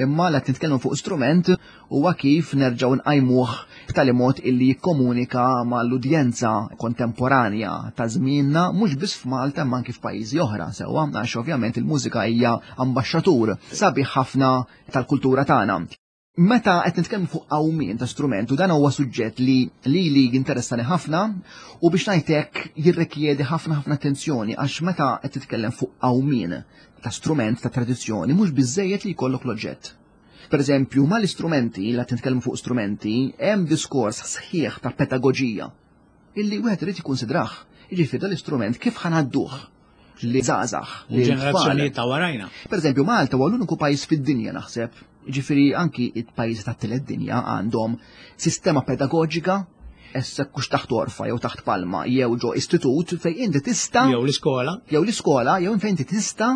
imma la nitkellmu fuq strument huwa kif nerġgħu nqajmuh b'tali mod illi jikkomunika mal-udjenza kontemporanja ta' żmienna mhux biss f'Malta imma anki f'pajjiżi oħra sewwa, għax ovvjament il-mużika hija ambaxxatur sabiħ ħafna tal-kultura tagħna. Meta qed nitkellmu fuq qawmien ta' strument, u dan huwa suġġett li lili jinteressani ħafna u biex ngħidlek jirrikjedi ħafna ħafna attenzjoni, għax meta qed titkellem fuq qawmien ta' strument ta' tradizzjoni mhux biżżejjed li jkollok l-oġġett. Per eżempju, mal-istrumenti, la titkellmu fuq strumenti, hemm diskors sħiħ ta' pedagoġija illi wieħed irid jikkunsidrah. Jiġifieri dal-istrument kif ħanadduh li żgħażagħ, li
Ġenerazzjonijiet
tfal.
ta' warajna.
Per eżempju, Malta huwa l-uniku pajjiż fid-dinja naħseb, jiġifieri anki il-pajjiżi tat-tielet dinja għandhom sistema pedagoġika issa kux taħt orfa jew taħt palma jew ġo istitut fejn inti tista'
Jew l-iskola.
Jew l-iskola, jew fejn inti tista'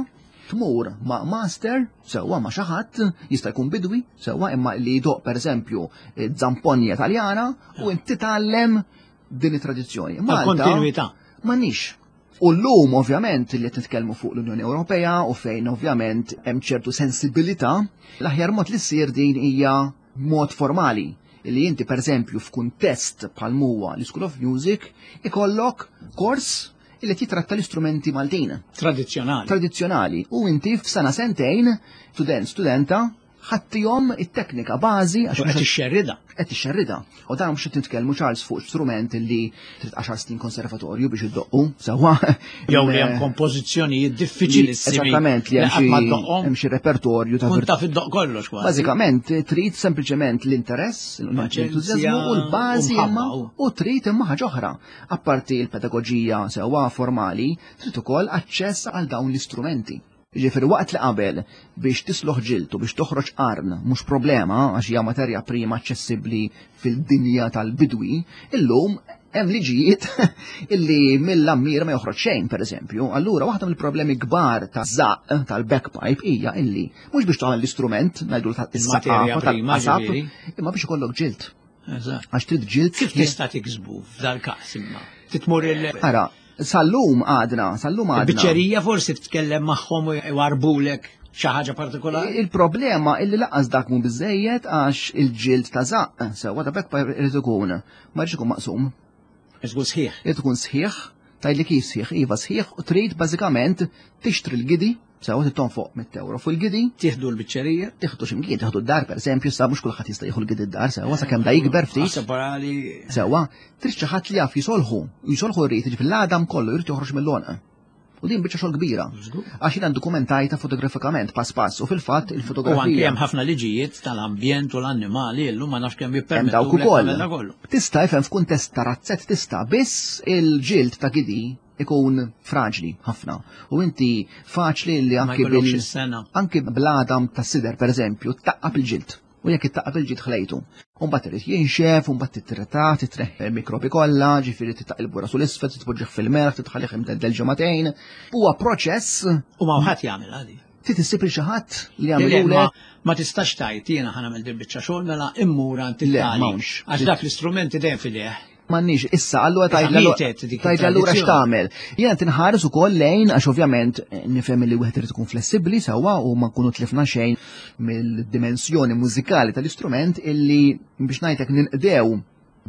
tmur ma' master, sewwa ma' xi ħadd, jista' jkun bidwi, sewwa imma li jdoq pereżempju zamponja Taljana u inti titgħallem din it-tradizzjoni. Malta
Kontinuità.
M'għandniex. U llum ovvjament li qed nitkellmu fuq l-Unjoni Ewropea u fejn ovvjament hemm ċertu sensibilità, l-aħjar mod li ssir din hija mod formali li inti pereżempju f'kuntest bħal huwa l-School of Music ikollok kors li titratta l-istrumenti Maltin.
Tradizzjonali.
Tradizzjonali. U inti f'sena sentejn, student, studenta, ħattihom it-teknika bażi għax
U qed
mhux
ixxerrida.
Qed ixxerrida. U dan mhux qed nitkellmu Charles fuq strument li trid għaxar snin konservatorju biex iddoqqu, sewwa.
Jew li hemm kompożizzjonijiet diffiċilissimi.
Eżattament, li hemm
Li qatt ma
xi
ddoqqhom.
hemm xi repertorju ta'
Kun
virtu-
taf iddoq kollox kważi.
Bażikament trid sempliċement l-interess, l-entużjażmu u l-bażi
u mħabba,
imma
u.
u trid imma ħaġa oħra. Apparti l-pedagoġija sewwa formali, trid ukoll aċċess għal dawn l-istrumenti. Jiġifieri waqt li qabel biex tisloħ ġiltu biex toħroġ qarn mhux problema għax hija materja prima aċċessibbli fil-dinja tal-bidwi, illum hemm liġijiet illi mill-ammir ma joħroġ xejn pereżempju. Allura waħda mill-problemi kbar ta' żaqq tal-bagpipe hija illi mhux biex tagħmel l-istrument ngħidu ta'
Il-materja
is-saqafa
prima,
tal-qasab,
ġifieri.
imma biex ikollok ġild.
Eżatt.
Għax trid ġild
Kif
sħiħ.
tista' tiksbu f'dal-każ imma? Titmur il-
Ara, sal-lum għadna, sal-lum għadna.
Il-biċċerija forsi titkellem magħhom u jwarbulek xi ħaġa partikolari?
Il-problema illi laqas dak mhu biżejjed għax il-ġild ta' żaqq, sewwa ta' bagpipe irid ikun, ma jridx ikun maqsum.
Irid ikun sħiħ.
Irid ikun sħiħ, tgħidli kif sħiħ, iva sħiħ, u trid bażikament tixtri l-gidi, sewwa trid tonfoq mitt euro fuq il-gidi.
Tieħdu l-biċċerija?
Tieħdu x'imkien, tieħdu d-dar pereżempju, sa mhux kulħadd jista' jieħu l-gidi d-dar, sewwa sakemm da jikber ftit.
Separali.
Sewwa, trid xi ħadd li jaf jisolħu, jisolħu rrid, jiġifieri l-għadam kollu jrid joħroġ mill-għonq. U din biċċa xogħol kbira.
Żgur.
Għax jiena dokumentajta fotografikament pass pass u fil-fatt
U anke
il-fotografija.
hemm ħafna liġijiet tal-ambjent u l-annimali illum ma nafx kemm
Hemm
jippermettu
dawk
lek
ukoll.
tagħmel da kollu.
Tista' ifhem f'kuntest ta' razzett tista' biss il-ġild ta' gidi ikun fraġli ħafna. U inti faċli li
Ma
anki
jkollokx
bil
is-sena.
anki bl-għadam ta' sider, per eżempju, taqqab il-ġild. U jekk ittaqqab il-ġild ħlejtu. Umbagħad irid jinxef, umbagħad titreta, titreħ il-mikrobi kollha, ġifieri titaq il-bura sul isfel, titpoġġih fil-merħ, titħallih imdeddel ġimagħtejn. Huwa proċess
U ma ħadd jagħmel għadi.
trid issib lil xi ħadd li
Le, le,
jagħmlu
Ma ma tistax tajt jiena ħa nagħmel din biċċa xogħol mela immur għand
Le,
it-tali.
m'hawnx.
Għax dak l-istrumenti dejjem fideh.
M'għandniex, issa, allura
Issa
tgħid
mietet dik
tgħid allura
it-tradizzjoni.
x'tagħmel. Jiena tinħares ukoll lejn għax ovvjament eh, nifhem li wieħed irid ikun flessibbli sewwa u ma nkunu tlifna xejn mill-dimensjoni mużikali tal-istrument illi biex ngħidlek ninqdew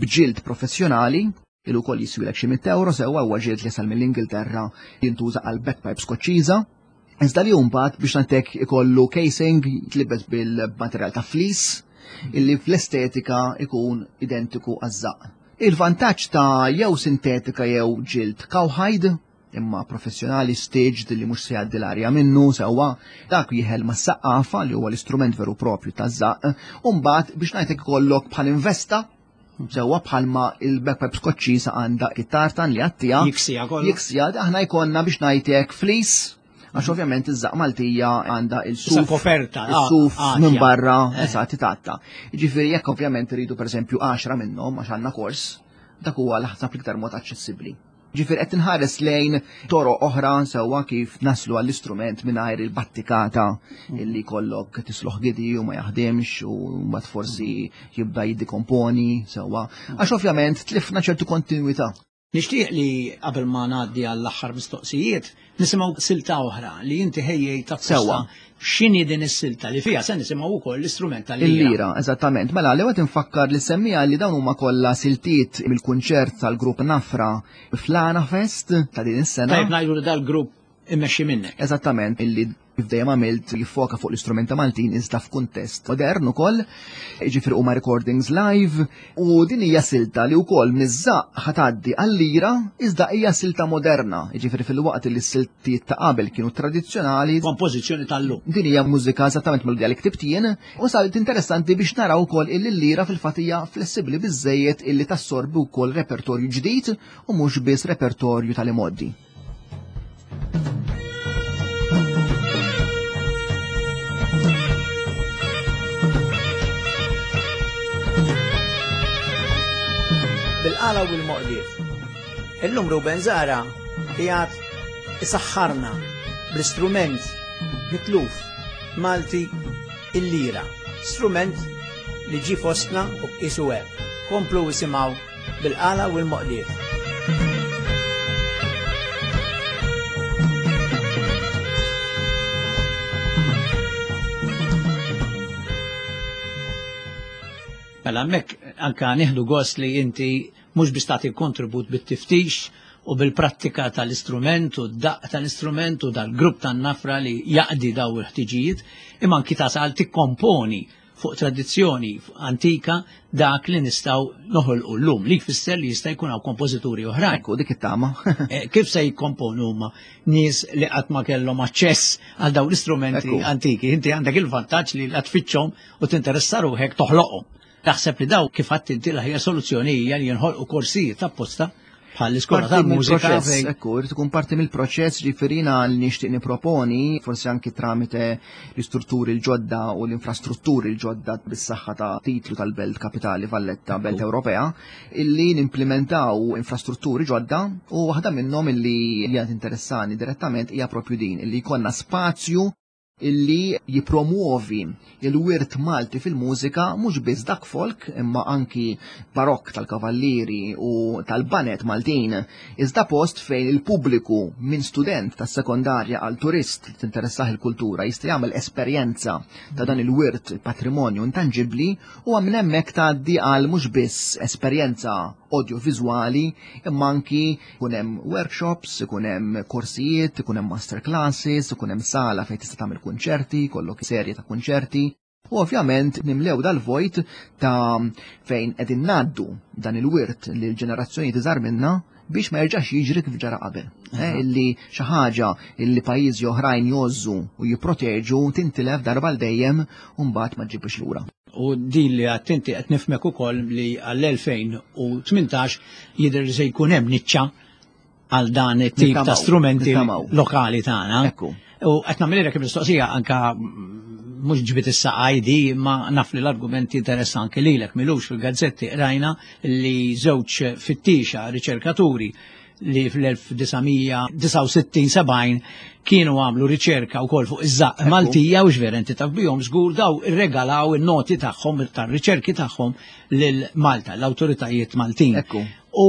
b'ġild professjonali il ukoll jiswilek xi mitt euro sewwa, huwa ġild li jasal mill-Ingilterra jintuża għal bagpipe Skoċċiża. Iżda li mbagħad biex ngħidlek ikollu casing tlibbes bil-materjal ta' fleece illi fl-estetika ikun identiku għaż-żaqq. Il-vantaġġ ta' jew sintetika jew ġild cowhide, imma professjonali staged li mhux se jgħaddi l-arja minnu sewwa, dak jieħel ma' saqqafa li huwa l-istrument veru propju taż-żaqq, u mbagħad biex ngħidlek ikollok bħal investa sewwa bħalma il-bagpipe Skoċċiża għandha it-tartan li għattija.
Jiksija kollu.
Jiksija, aħna jkollna biex ngħidlek fleece, għax ovvjament iż-żaqq Maltija għandha il-suf.
Issa koperta, ah,
Il-suf
ah,
minn
ja.
barra,
Eh.
eżatt, titatta. Jiġifieri jekk ovvjament iridu pereżempju għaxra minnhom għax għandna kors, dak huwa l-ħsab l-iktar mod aċċessibbli. Ġifieri qed tinħares lejn toroq oħra sewwa kif naslu għall-istrument mingħajr il-battikata illi kollok tisloħ gidi u ma jaħdimx u mbagħad forsi jibda jiddikomponi sewwa. Għax ovvjament tlifna ċertu kontinwità.
Nixtieq li qabel ma ngħaddi għall-aħħar mistoqsijiet nisimgħu silta oħra li inti ħejjejt apposta.
Sewwa.
X'inhi din is-silta li fiha se nisimgħu wkoll l-istrument tal-lira?
Il-lira, eżattament. Mela, l-ewwel infakkar li semmija li dawn huma kollha siltiet mill-kunċert tal-grupp Nafra fl-Għana Fest ta' din is-sena.
Tajb ngħidu li dal-grupp immexxi minnek.
Eżattament, illi kif dejjem għamilt jiffoka fuq l-istrumenta Maltin iżda f'kuntest modern ukoll, jiġifieri huma recordings live, u din hija silta li wkoll miż-żaqq ħatgħaddi għal-lira iżda hija silta moderna, jiġifieri fil-waqt li s-siltiet ta' qabel kienu tradizzjonali.
Kompożizzjoni tal-lum.
Din hija mużika eżattament melodija li ktibt jien, u salt interessanti biex naraw ukoll illi l-lira fil-fatt hija flessibbli biżżejjed illi tassorbi wkoll repertorju ġdid u mhux biss repertorju tal-imoddi.
Bil-qala u bil-moqdiet. Illum Ruben Zahra qiegħed isaħħarna bl-istrument mitluf Malti il-lira. Strument li ġie fostna u qisu hekk. Komplu isimgħu bil-qala u l-moqdiet. Mela hemmhekk anka nieħdu gost li inti mhux biss tagħti kontribut bit-tiftix u bil-prattika tal-istrument u d-daqq tal-istrument u dal-grupp tan-nafra li jaqdi daw il-ħtiġijiet, imma anki tasal tikkomponi fuq tradizzjoni antika dak li nistgħu noħolqu llum, li jfisser li jista' jkun hawn kompożituri oħrajn.
Ekku, dik it-tama.
Eh, kif se jikkomponu huma nies li qatt ma kellhom aċċess għal dawn l-istrumenti
Ekku.
antiki? Inti għandek il-vantaġġ li qed tfittxhom u tinteressa ruħek toħloqhom. Taħseb li daw kif għadt inti l-aħjar soluzzjoni hija li jinħolqu korsijiet apposta bħal l-iskola
Parti
tal-mużika
mill-proċess,
fejn
ekku, irid ikun parti mill-proċess, ġifieri li nixtieq niproponi, forsi anki tramite l-istrutturi l-ġodda u l-infrastrutturi l-ġodda bis-saħħa ta' titlu tal-Belt Kapitali Valletta, Belt
Ekku.
Ewropea, illi nimplementaw infrastrutturi ġodda, u waħda minnhom illi hija interessani direttament hija propju din, illi jkollna spazju illi jipromuovi il-wirt Malti fil-mużika, mhux biss dak folk, imma anki barokk tal-kavallieri u tal-banet Maltin, iżda post fejn il-pubbliku minn student tas-sekondarja għal turist li tinteressah il-kultura jista' jagħmel esperjenza ta' dan il-wirt, il-patrimonju intangibbli, u minn hemmhekk tgħaddi għal mhux biss esperjenza audiovizuali, imma anki ikun hemm workshops, ikun hemm korsijiet, ikun hemm masterclasses, ikun hemm sala fejn tista' tagħmel kunċerti, kollok serje ta' kunċerti. U ovvjament nimlew dal-vojt ta' fejn qegħdin ngħaddu dan il-wirt lil ġenerazzjoni iżgħar minna biex ma jerġax jiġri kif ġara qabel. Eh, illi xi ħaġa illi pajjiżi oħrajn jgħożżu u jipproteġu tintilef darba l dejjem u mbagħad ma ġibx lura.
U din li għadt inti qed nifhmek ukoll li għall-elfejn u tmintax jidher li se jkun hemm niċċa għal dan it-tip ta'
Nittamaw,
strumenti
nittamaw.
lokali tagħna.
Ekku.
U qed nagħmilek mistoqsija anka mhux ġbit issa I D, ma naf li l-argumenti interessanti lilek. M'ilux fil-gazzetti rajna li żewġ fittixa riċerkaturi li fl-elf disa' mija disgħa u sittin sebgħin kienu għamlu riċerka wkoll fuq iż-żaqq Maltija u x'vera inti taf bihom żgur, daw irregalaw in-noti tagħhom tar-riċerki tagħhom lil Malta, l-awtoritajiet Maltin.
Ekku.
U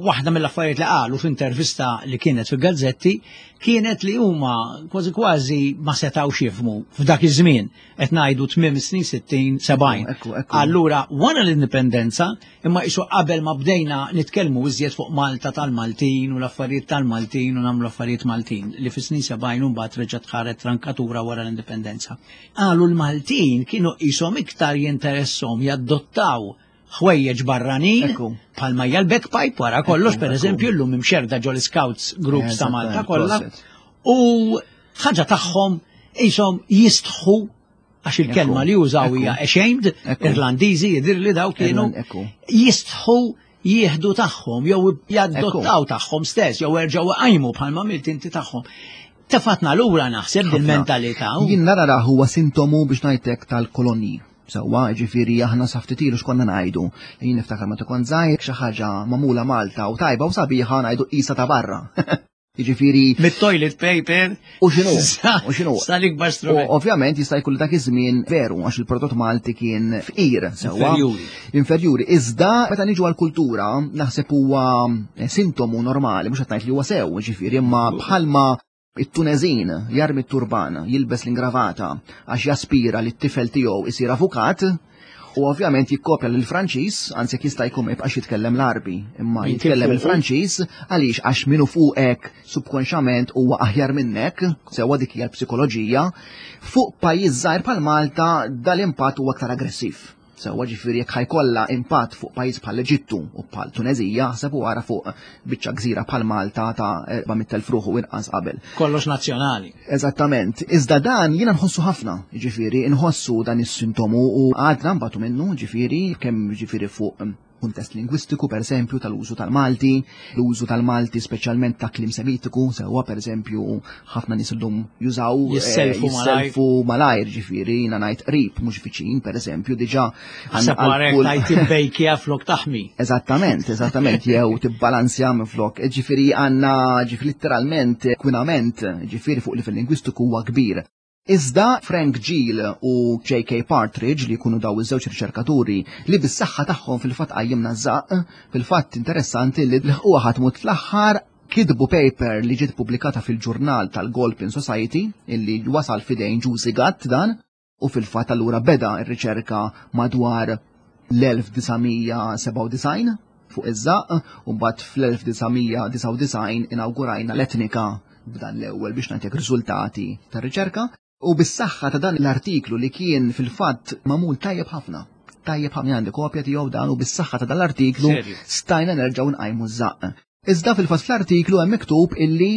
waħda mill-affarijiet li qalu f'intervista li kienet fil-gazzetti kienet li huma kważi kważi ma setgħux jifhmu f'dak iż-żmien, qed ngħidu tmiem snin sittin sebgħin.
Ekku, ekku.
Allura wara l-indipendenza, imma isu qabel ma bdejna nitkellmu iżjed fuq Malta tal-Maltin u l-affarijiet tal-Maltin u nagħmlu affarijiet Maltin li fis-snin sebgħin u mbagħad reġgħet ħaret trankatura wara l-indipendenza. Qalu l-Maltin kienu qishom iktar jinteressom jadottaw ħwejjeġ barranin
Ekku.
bħalma hija l-bagpipe wara kollox,
Ekku,
per
ekku.
eżempju, llum imxerda ġol scouts groups ta' Malta
Eżattament,
kollha.
proset.
U ħaġa tagħhom qishom jistħu, għax il-kelma
Ekku,
li użaw
ekku.
hija ashamed,
Ekku.
Irlandiżi jidir li daw kienu
Irland- ekku.
jistħu jieħdu tagħhom jew jaddottaw tagħhom stess jew erġgħu qajmu bħalma għamilt inti tagħhom. Tefatna lura naħseb dil-mentalità.
Jien nara huwa sintomu, biex ngħidlek, tal-kolonji. Sewwa, ġifieri aħna sa ftit ilu x'konna ngħidu? Jien niftakar meta kont żgħir, xi ħaġa magħmula Malta u tajba u sabiħa ngħidu qisha ta' barra. Jiġifieri
Mit-toilet paper.
U x'inhu? U x'inhu?
Sal-ikbar
U
strument.
ovvjament jista' jkun dak iż-żmien veru, għax il-prodott Malti kien fqir, sewwa.
Inferjuri.
Inferjuri. Iżda meta niġu għall-kultura naħseb huwa sintomu normali, mhux qed ngħid li huwa sew, ġifieri, imma bħalma it-Tunezin jarmi t-turban, jilbes l-ingravata għax jaspira li t-tifel tiegħu isir avukat, u ovvjament jikkopja lil Franċiż, anzi jekk jista' jkun ma jibqax jitkellem l-Arbi, imma
Jitkellem
jitkellem
fuqu.
il-Franċiż. Għaliex? Għax minnu fuqek subkonxament huwa aħjar minnek, sewwa, dik hija l-psikoloġija. Fuq pajjiż żgħir bħal Malta dal-impatt huwa aktar aggressiv. Sewwa, ġifieri jekk ħa jkollha impatt fuq pajjiż bħal Eġittu u bħal Tunezija, ħseb wara fuq biċċa gżira bħal Malta ta' erba' mitt elf ruħu inqas qabel.
Kollox nazzjonali.
Eżattament. Iżda dan jiena nħossu ħafna, ġifieri, nħossu dan is-sintomu u għadna nbatu minnu, ġifieri, kemm ġifieri fuq mm, kuntest lingwistiku, per eżempju, tal-użu tal-Malti, l-użu tal-Malti speċjalment ta' kliem semitiku, sewwa, per eżempju, ħafna nies illum jużaw eh,
Jisselfu malajr.
Jisselfu malajr, ġifieri, jiena ngħid qrib, mhux viċin, per eżempju, diġà
Ħseb warek
kull-
tajt tibbejkja flok taħmi.
Eżattament, eżattament, jew tibbalanzja minn flok. Ġifieri għandna, ġifieri literalment, kwinament, ġifieri fuq livell lingwistiku huwa kbir. Iżda Frank Gill u J K. Partridge, li jkunu daw iż-żewġ riċerkaturi li bis-saħħa tagħhom fil-fatt qajjimna żaqq, fil-fatt interessanti li l-ħuqa ħatmut fl-aħħar kitbu paper li ġiet pubblikata fil-ġurnal tal-Galpin Society, illi wasal fidejn Ġużi Gatt dan, u fil-fatt allura beda r-riċerka madwar l-elf disa' mija sebgħa u disgħin fuq iż-żaqq, u mbagħad fl-elf disa' mija disgħa u disgħin inawgurajna l-Etnika b'dan l-ewwel, biex nagħtik, riżultati tar-riċerka. U bis-saħħa ta' dan l-artiklu li kien fil-fatt magħmul tajjeb ħafna. Tajjeb ħafna, għandi kopja tiegħu dan, u bis-saħħa ta' dan l-artiklu
Serju?
stajna nerġgħu nqajmu ż-żaqq. Iżda fil-fatt fl-artiklu hemm miktub illi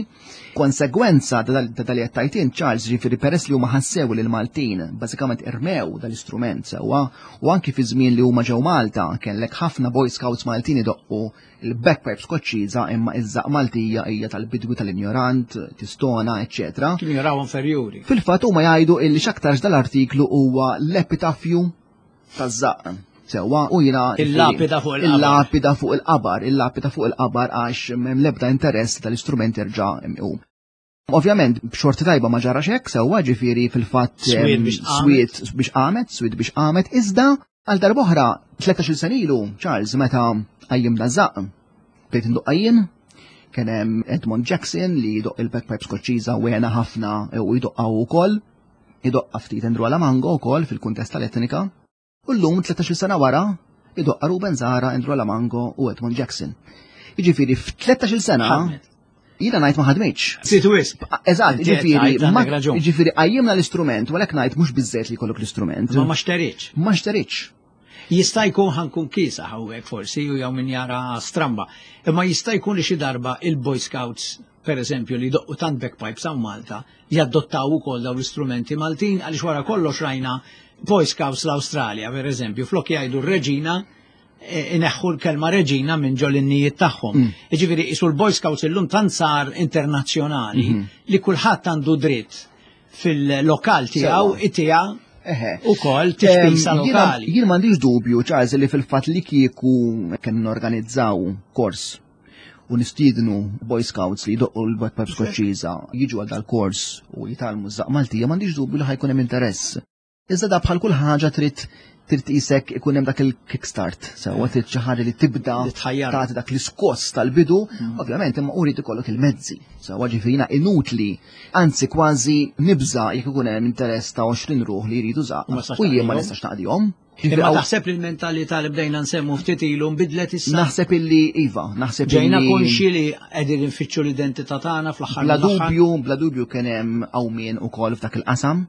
konsegwenza ta' dal- ta' dal tajtin Charles, ġifieri peress li huma ħassew li l-Maltin bażikament irmew dal-istrument, sewwa, u anki fi żmien li huma ġew Malta kellek ħafna Boy Scouts Maltin idoqqu il-bagpipe Skoċċiża, imma iż-żaqq Maltija hija tal-bidwi, tal-injorant, tistona, eċċetera.
Kienu jaraw inferjuri.
Fil-fatt huma jgħidu illi x'aktarx dal-artiklu huwa l-epitafju taż-żaqq. Sewwa, u jiena
Il-lapida fuq il-qabar.
Il-lapida fuq il-qabar, il-lapida fuq il-qabar, għax m'hemm l-ebda interess tal-istrument jerġa' imqum. Ovvjament, b'xorti tajba ma ġarax hekk, sewwa, ġifieri fil-fatt
Swiet
em,
biex qamet.
Swiet biex qamet, swiet biex qamet, iżda għal darb'oħra tlettax-il sena ilu, Charles, meta qajjimna żaqq, bdejt indoqqa jien, kien hemm Edmond Jackson li jdoq il-bagpipe Skoċċiża u għena ħafna u jdoqqa wkoll, idoqqa ftit Andrew Alamango wkoll fil-kuntest tal-Etnika. U llum, tlettax-il sena wara, idoqqa Ruben Zahra, Andrew Alamango u Edmond Jackson. Jiġifieri f'tlettax-il sena
Ħadmet.
jiena ngħid ma ħadmitx.
Ftit wisq.
Eżatt,
Inti
ġifieri,
għedt,
ma-
għandek raġun.
ġifieri qajjimna l-istrument, u għalhekk ngħid mhux biżżejjed li jkollok l-istrument.
Ma ma xteritx.
Ma xteritx.
Jista' jkun, ħa nkun kiesaħ hawnhekk forsi u jew min jara stramba. Imma jista' jkun li xi darba il-Boy Scouts, per eżempju, li doqqu tant bagpipes hawn Malta, jaddottaw ukoll dawn l-istrumenti Maltin, għaliex wara kollox rajna Boy Scouts l-Awstralja, per eżempju, flok jgħidu r-reġina ineħħu l-kelma reġina minn ġol-innijiet tagħhom.
Mm.
Jiġifieri qisu l-Boy Scouts illum tant sar internazzjonali
Mhm.
li kulħadd għandu dritt fil-lokal tiegħu
Sewwa.
itija
Eħe.
ukoll tiċpisa
Em, jiena-
lokali.
Jien m'għandix dubju, Charles, li fil-fatt li kieku kien norganizzaw kors u nistiednu Boy Scouts li jdoqqu l-bagpipe Skoċċiża jiġu għal dal-kors u jitgħallmu ż-żaqq Maltija, m'għandix dubju li ħa jkun hemm interess. Iżda da bħal kull ħaġa trid trid qisek ikun hemm dak il-kickstart, sewwa trid xi ħaġa li tibda
Li tħajjar.
tagħti dak l-iskoss tal-bidu, ovvjament imma urid ikollok il-mezzi. Sewwa ġifieri inutli, anzi kważi nibża jekk ikun hemm interess ta' għoxrin ruħ li jridu żaqq
U ma tistax
u jien ma
taqdihom.
nistax naqdihom.
Imma taħseb li l-mentalità li bdejna nsemmu ftit ilu nbidlet issa?
Naħseb illi iva, naħseb
Ġejna
illi
konxi li qegħdin nfittxu l-identità tagħna fl-aħħar
Bla
mill-aħħar.
dubju, bla dubju kien hemm qawmien ukoll f'dak il-qasam.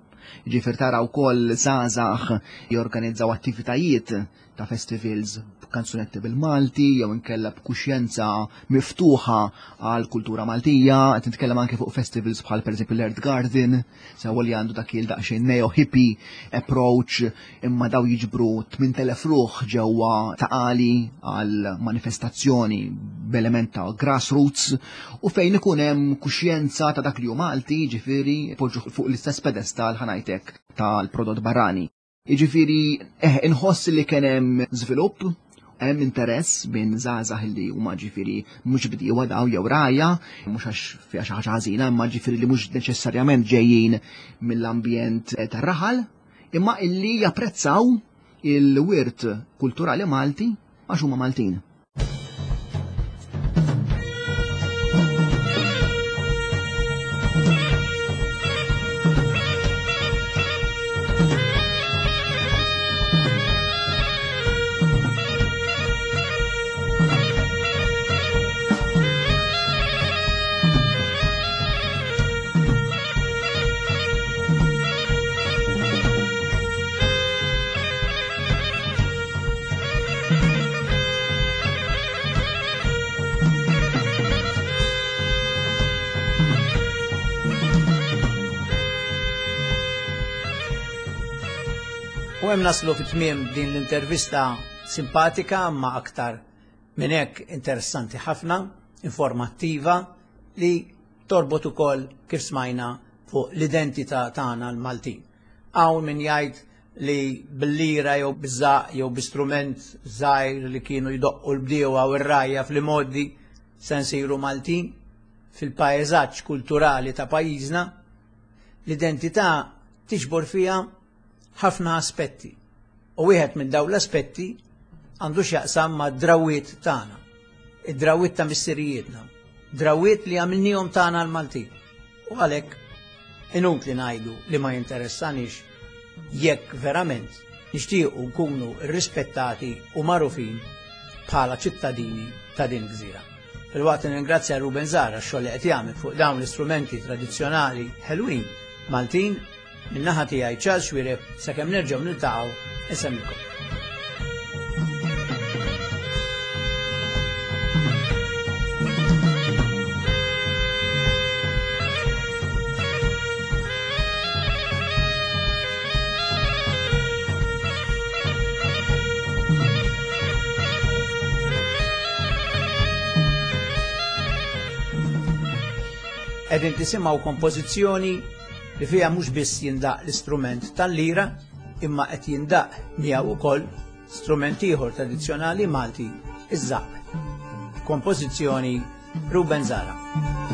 Ġifier tara wkoll żgħażagħ jorganizzaw attivitajiet ta' festivals b'kanzunetti bil-Malti jew inkella b'kuxjenza miftuħa għal kultura Maltija, qed nitkellem anke fuq festivals bħal pereżempju l-Earth Garden, sewwa li għandu dak il daqsxejn neo hippie approach, imma daw jiġbru tmint elef ruħ ġewwa Ta' Qali għal manifestazzjoni b'element ta' grassroots u fejn ikun hemm kuxjenza ta' dak li hu Malti, ġifieri poġġu fuq l-istess pedestal ħa ngħidlek tal-prodott barrani. Jiġifieri, eh, inħoss li kien hemm żvilupp, hemm interess minn żgħażagħ li huma ġifieri mhux bdiewa daw jew rgħajja, mhux għax fiha xi ħaġa ħażina, imma ġifieri li mhux neċessarjament ġejjin mill-ambjent tar-raħal, imma illi japprezzaw il-wirt kulturali Malti għax huma Maltin.
U hemm naslu fit-tmiem din l-intervista simpatika ma aktar minn hekk interessanti ħafna, informattiva, li torbot ukoll kif smajna fuq l-identità tagħna l-Maltin. Hawn min jgħid li bil-lira jew biż-żaqq jew b'istrument żgħir li kienu jdoqqu l-bdiewa u r-rgħajja fl-imgħoddi se nsiru Maltin fil-pajjeżaġġ kulturali ta' pajjiżna. L-identità tiġbor fiha ħafna aspetti. U wieħed minn dawn l-aspetti għandu x'jaqsam ma' drawiet tagħna, id-drawiet ta' missirijietna, drawiet li għamilnihom tagħna l-Maltin. U għalhekk inutli ngħidu li ma jinteressanix jekk verament nixtiequ nkunu rrispettati u magħrufin bħala ċittadini ta' din gżira. Filwaqt nirringrazzja Ruben Zahra x-xogħol li qed jagħmel fuq dawn l-istrumenti tradizzjonali ħelwin Maltin, min-naħa tiegħi Charles Xuereb, sakemm nerġgħu niltaqgħu insemmilkom. Qegħdin tisimgħu kompożizzjoni li fiha mhux biss jindaq l-istrument tal-lira, imma qed jindaq miegħu wkoll strument ieħor tradizzjonali Malti, iż-żaqq. Kompożizzjoni Ruben Zahra.